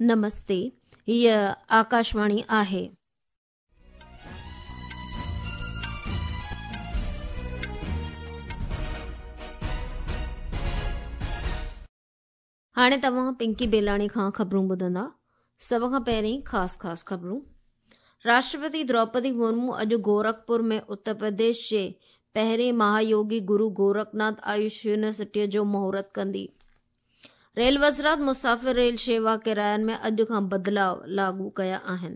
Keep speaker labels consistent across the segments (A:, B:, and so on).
A: نمستي، هيء آڪاشواڻي آهي. هاڻي توهان پنڪي بيلاڻي کان خبرون ٻڌندا. سڀ کان پهرين خاص خاص خبرون. راشٽرپتي دروپدي مرمو اڄ گورکپور ۾ اتر پرديش جي پهرين مهايوگي گرو گورکناٿ آيوش يونيورسٽيء جو مهورت ڪندي. ريل وزارت مسافر ريل شيوا ڪراين ۾ اڄ کان بدلاء لاڳو ڪيا آهن.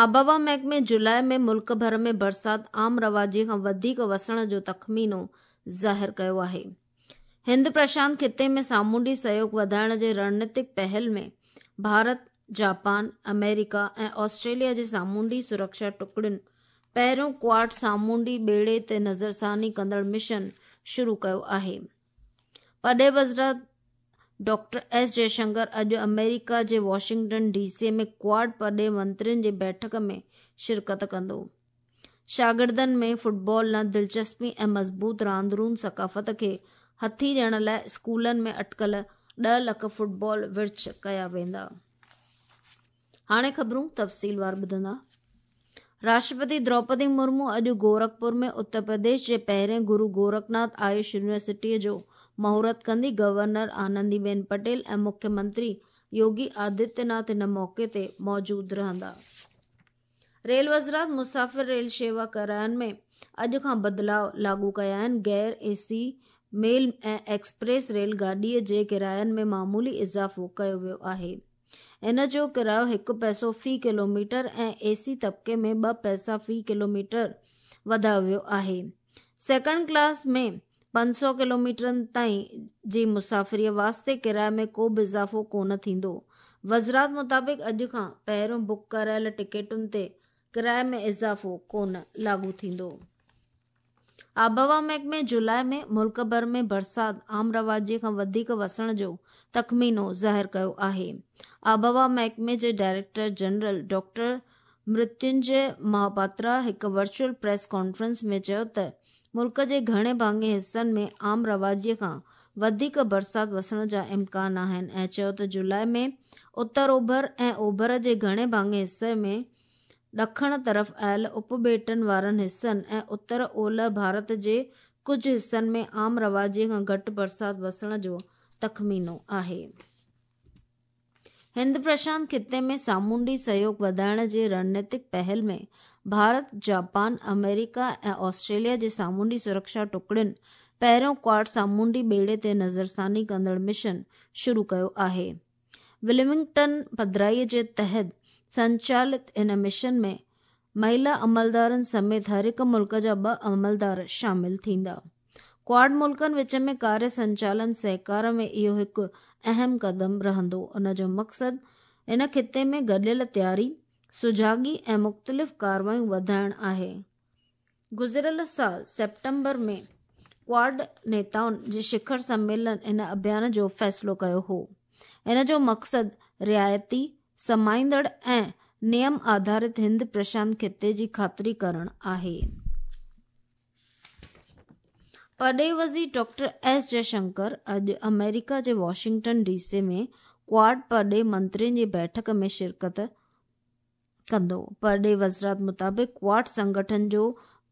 A: آبهوا محڪمي جولاء ۾ ملڪ ڀر ۾ برسات عام رواجي کان وڌيڪ وسڻ جو تخمينو ظاهر ڪيو آهي. هند پرشانت خطي ۾ سامونڊي سهيوڳ وڌائڻ جي رڻنيتڪ پهل ۾ ڀارت، جاپان، آمريڪا ۽ آسٽريليا جي سامونڊي سرڪشا ٽڪڙين پهريون ڪواڊ سامونڊي ٻيڙي تي نظرثاني ڪندڙ مشن شروع ڪيو آهي. پرڏيهي وزارت ڊاڪٽر ايس جئشنڪر اڄ آمريڪا جي واشنگٽن ڊي سي ۾ ڪواڊ پرڏيهي منترين جي بيٺڪ ۾ شرڪت ڪندو. شاگردن ۾ فٽبال ڏانهن دلچسپي ۽ مضبوط راندرون ثقافت کي هٿي ڏيڻ لاء اسڪولن ۾ اٽڪل 10 لک فٽبال ورڇ ڪيا ويندا. هاڻي خبرون تفصيلوار ٻڌندا. راشٽرپتي دروپدي مرمو اڄ گورکپور ۾ اتر پرديش جي پهرين گرو گورکناٿ آيوش يونيورسٽيء جو مهورت ڪندي. گورنر آنندي بين پٽيل ۽ مکيه منتري يوگي آدتيه ناٿ ان موقعي تي موجود رهندا. ريل وزارت مسافر ريل شيوا ڪراين ۾ اڄ کان بدلاء لاڳو ڪيا آهن، غير اي سي، ميل ۽ ايڪسپريس ريل گاڏيء جي ڪراين ۾ معمولي اضافو ڪيو ويو آهي. ان جو ڪرايو هڪ پئسو في ڪلوميٽر ۽ اي سي طبقي ۾ ٻه پئسا في ڪلوميٽر وڌايو ويو آهي. سيڪنڊ ڪلاس ۾ 500 ڪلوميٽرن تائين جي مسافريء واسطي ڪرائي ۾ ڪو به اضافو ڪونه ٿيندو. وزارت مطابق اڄ کان پهريون بڪ ڪرايل ٽڪيٽن تي ڪرائي ۾ اضافو ڪونه لاڳو ٿيندو. آبهوا محڪمي جولاء ۾ ملڪ ڀر ۾ برسات عام رواجي کان وڌيڪ وسڻ جو تخمينو ظاهر ڪيو آهي. آبهوا محڪمي جي director general doctor Mrutyunjay Mohapatra هڪ ورچوئل پريس ڪانفرنس ۾ چيو ته ملڪ جي گهڻي ڀاڱي حصن ۾ عام رواجي کان وڌيڪ برسات وسڻ جا امڪان آهن ۽ چيو ته جولاء ۾ اتر اوڀر ۽ اوڀر جي گهڻي ڀاڱي حصي ۾ ڏکڻ طرف آيل اپٻيٽن وارن حصن ۽ اتر اولهه ڀارت جي ڪجهه حصن ۾ عام رواجي کان گهٽ برسات وسڻ جو تخمينو آهي. هند پرشانت خطي ۾ سامونڊي سهيوڳ وڌائڻ جي رڻنيتڪ پهل ۾ ڀارت، جاپان، آمريڪا ۽ آسٽريليا جي سامونڊي سرڪشا ٽڪڙين پهريون ڪواڊ سامونڊي ٻيڙي تي نظرثاني ڪندڙ مشن شروع ڪيو آهي. ولمنگٽن پڌرائي جي تحت سنچالت ان مشن ۾ مهيلا عملدارن سميت هر هڪ ملڪ جا ٻه عملدار شامل ٿيندا. ڪواڊ ملڪن وچ ۾ ڪاريه سنچالن سهڪار ۾ اهو هڪ اهم قدم رهندو، ان جو مقصد ان خطي ۾ گڏيل تياري، سجاڳي ۽ مختلف ڪارروايون وڌائڻ آهي. گذريل سال سيپٽمبر ۾ ڪواڊ نيتائن جي شکر سميلن ان اڀيان جو فيصلو ڪيو هو. ان جو مقصد رعايتي، سمائيندڙ ۽ نيم آڌارت هند پرشانت خطي جي خاطري ڪرڻ آهي. پرڏيهي وزير ڊاڪٽر ايس جئشنڪر اڄ آمريڪا جي واشنگٽن ڊي سي ۾ ڪواڊ پرڏيهي منترين جي بيٺڪ ۾ شرڪت ڪندو. پرڏيهي وزارت مطابق ڪواڊ سنگٺن جو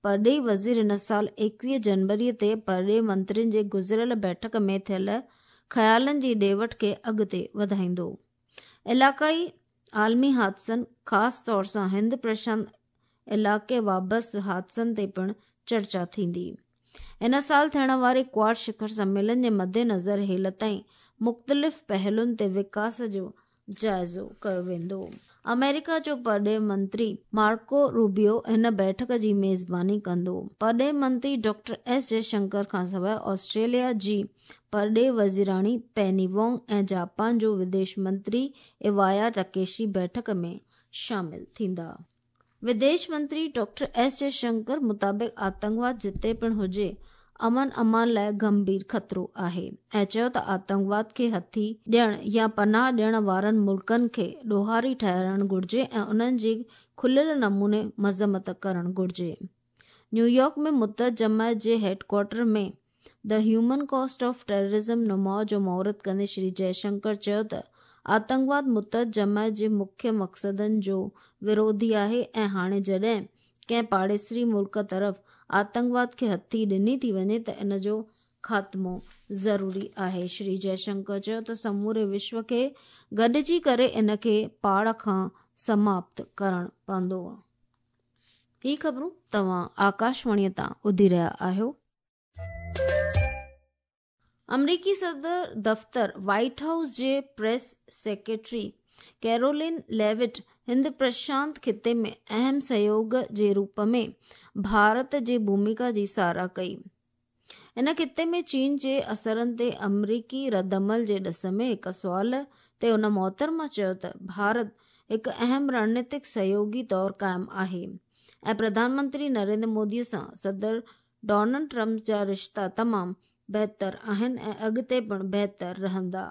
A: پرڏيهي وزير هن سال 21 جنوري تي پرڏيهي منترين جي گذريل بيٺڪ ۾ ٿيل خيالن جي ڏي وٺ کي اڳتي وڌائيندو. علاقائي عالمي حادثن خاص طور سان هند پرشانت علائقي وابسته حادثن تي پڻ چرچا ٿيندي. هن سال ٿيڻ واري ڪواڊ شکر سميلن جي مدنظر هيل تائين مختلف پهلن تي وڪاس جو جائزو ڪيو ويندو. آمريڪا جو پرڏيهه منتري مارڪو روبيو هن بيٺڪ جي ميزباني ڪندو. پرڏيهه منتري ڊاڪٽر ايس جئشنڪر کانسواء آسٽريليا جي پرڏيهه وزيراڻي پيني وانگ ۽ جاپان جو وديش منتري ايوايا تڪيشي بيٺڪ ۾ شامل ٿيندا. وديش منتري ڊاڪٽر ايس جئشنڪر مطابق آتنڪواد جتي پڻ هجي امن امان لاء گنڀير خطرو آهي ۽ چيو ته آتنڪواد کي هٿي ڏيڻ يا پناهه ڏيڻ وارن ملڪن کي ڏوهاري ٺهرائڻ گهرجي ۽ انهن جي کليل نموني مذمت ڪرڻ گهرجي. نيويارڪ ۾ متحد جماعت جي head quarter ۾ the human cost of terrorism نماء جو مهورت ڪندي شري جئشنڪر چيو ته آتنڪواد متحد جماعت جي مکيه مقصدن جو وروڌي آهي ۽ هاڻي جڏهن ڪنهن پاڙيسري ملڪ طرف آتنڪواد کي هٿي ڏني ٿي وڃي ته ان جو خاتمو ضروري آهي. شري جئشنڪر چيو ته سموري وشو کي گڏجي ڪري ان کي پاڙ کان سماپت ڪرڻ پوندو. هي خبرون توهان آڪاشواڻي تان ٻڌي رهيا آهيو. آمريڪي صدر دفتر وائيٽ هائوس جي پريس سيڪريٽري ڪيرولين ليوٽ هند پرشانت خطي ۾ اهم سهيوگ جي روپ ۾ ڀارت جي ڀوميڪا جي ساراهه ڪئي. ان خطي ۾ چين جي اثرن تي آمريڪي ردعمل جي ڏس ۾ هڪ سوال تي هن محترمه چيو ته ڀارت هڪ اهم رڻنيتڪ سهيوگي طور قائم آهي ۽ پرڌان منتري نريندر مودي سان صدر ڊونلڊ ٽرمپ جا رشتا تمام بهتر آهن ۽ اڳتي پڻ بهتر رهندا.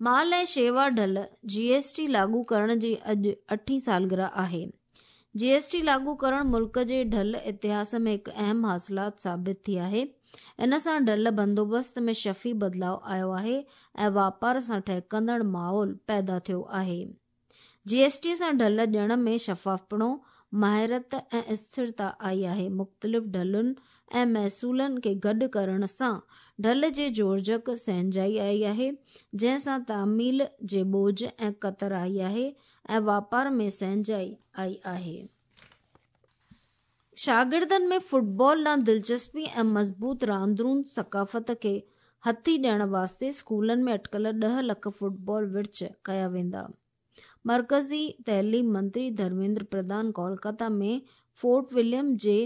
A: مال ۽ شيوا ڍل، جي ايس ٽي، لاڳو ڪرڻ جي اڄ اٺين سالگرهه آهي. جي ايس ٽي لاڳو ڪرڻ ملڪ جي ڍل اتهاس ۾ هڪ اهم حاصلات ثابت ٿي آهي. ان سان ڍل بندوبست ۾ شفي بدلاء آيو آهي ۽ واپار سان ٺهڪندڙ ماحول پيدا ٿيو آهي. جي ايس ٽي سان ڍل ڏيڻ ۾ شفافپڻو، ماهرت ۽ اسٿرتا آئي آهي. مختلف ڍلن ۽ محصولن کي گڏ ڪرڻ سان ڍل جي جوڙجڪ سهنجائي آئي آهي، جنهن سان تعميل جي ٻوجهه ۽ ڪتر آئي آهي ۽ واپار ۾ سهنجائي آئي آهي. شاگردن ۾ فٽبال ڏانهن دلچسپي ۽ مضبوط راندرون ثقافت کي هٿي ڏيڻ واسطي اسڪولن ۾ اٽڪل 10 لک فٽبال ورڇ ڪيا ويندا. مرڪزي تعليم منتري ڌرميندر پرڌان ڪولڪاتا ۾ فورٽ وليم جي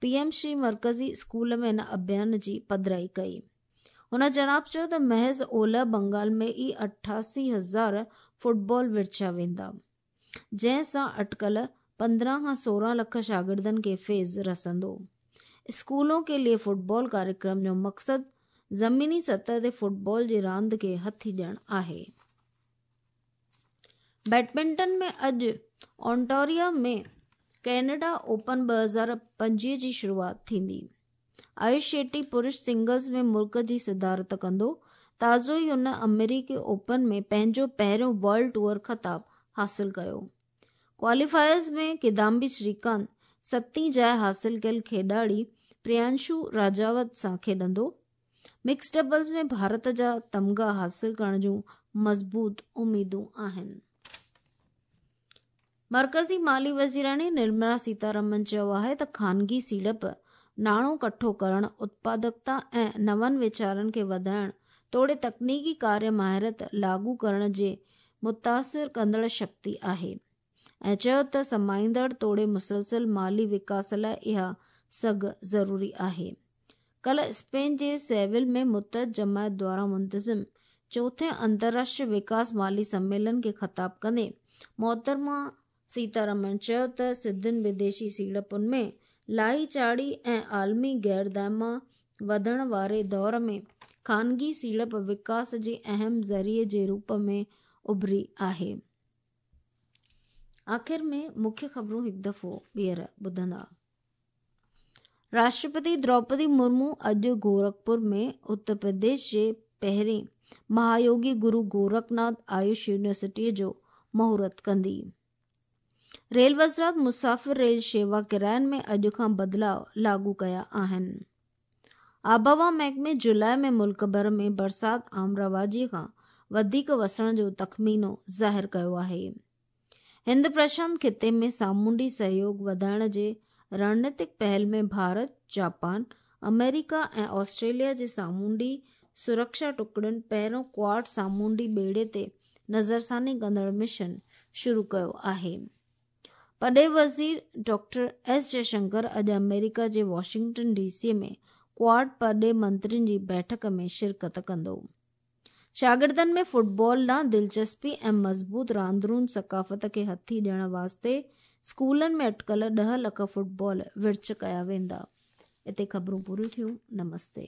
A: پي ايم شري مرڪزي اسڪول ۾ ان اڀيان جي پڌرائي ڪئي. هن جناب چيو ته محض اولهه بنگال ۾ ئي 88 هزار فٽبال ورڇيا ويندا. جنهن سان اٽڪل 15 کان 16 لک شاگردن کي فيض رسندو. اسڪولون ڪي ليي فٽبال ڪاريڪرم جو مقصد زميني سطح تي فٽبال جي راند کي هٿي ڏيڻ آهي. بيڊمنٽن ۾ اڄ اونٽاريو ۾ ڪينيڊا اوپن 2025 جي شروعات ٿيندي. آيوش شيٽي پرش سنگلز ۾ ملڪ جي صدارت ڪندو. تازو ئي هن آمريڪي اوپن ۾ پنهنجو پهريون ورلڊ ٽوئر خطاب حاصل ڪيو. ڪواليفائرز ۾ ڪدامبي شريڪانت ستين جاء حاصل ڪيل کيڏاڙي پريانشو راجاوت سان کيڏندو. مڪس ڊبلز ۾ ڀارت جا تمغا حاصل ڪرڻ جون مضبوط اميدون آهن. مرڪزي مالي وزيراڻي نرملا سيتارامن چيو آهي ته خانگي سيڙپ ناڻو ڪٺو ڪرڻ، اتپادڪتا ۽ نون ويچارن کي وڌائڻ توڙي تڪنيڪي ڪاريه مهارت لاڳو ڪرڻ جي متاثر ڪندڙ شڪتي آهي ۽ چيو ته سمائيندڙ توڙي مسلسل مالي وڪاس لاء اها سگهه ضروري آهي. ڪالهه اسپين جي سيول ۾ متحد جماعت دواران منتظم چوٿين انترراشٽريه وڪاس مالي سميلن کي خطاب ڪندي محترمه سيتارامن چيو ته سڌين وديشي سيڙپن ۾ لاهي چاڙهي ۽ عالمي غير دائما وڌڻ واري دور ۾ خانگي سيڙپ وڪاس جي اهم ذريعي جي روپ ۾ اڀري آهي. آخر ۾ مکيه خبرون هڪ دفعو ٻيهر ٻڌندا. راشٽرپتي دروپدي مرمو اڄ گورکپور ۾ اتر پرديش جي پهرين مهايوگي گرو گورکناٿ آيوش يونيورسٽيء جو مهورت ڪندي. ريل وزارت مسافر ريل شيوا ڪراين ۾ اڄ کان بدلاء لاڳو ڪيا آهن. آبهوا محڪمي جولاء ۾ ملڪ ڀر ۾ برسات عام رواجي کان وڌيڪ وسڻ جو تخمينو ظاهر ڪيو آهي. هند پرشانت خطي ۾ سامونڊي سهيوڳ وڌائڻ جي رڻنيتڪ پهل ۾ ڀارت، جاپان، آمريڪا ۽ آسٽريليا جي سامونڊي سرڪشا ٽڪڙين پهريون ڪواڊ سامونڊي ٻيڙي تي نظرثاني ڪندڙ مشن شروع ڪيو آهي. پرڏيهي وزير ڊاڪٽر ايس جئشنڪر اڄ آمريڪا جي واشنگٽن ڊي سي ۾ ڪواڊ پرڏيهي منترين جي بيٺڪ ۾ شرڪت ڪندو. شاگردن ۾ فٽبال ڏانهن دلچسپي ۽ مضبوط راندرون ثقافت کي هٿي ڏيڻ واسطي اسڪولن ۾ اٽڪل 10 لک فٽبال ورڇ ڪيا ويندا. اتي خبرون پوريون ٿيون. نمستي.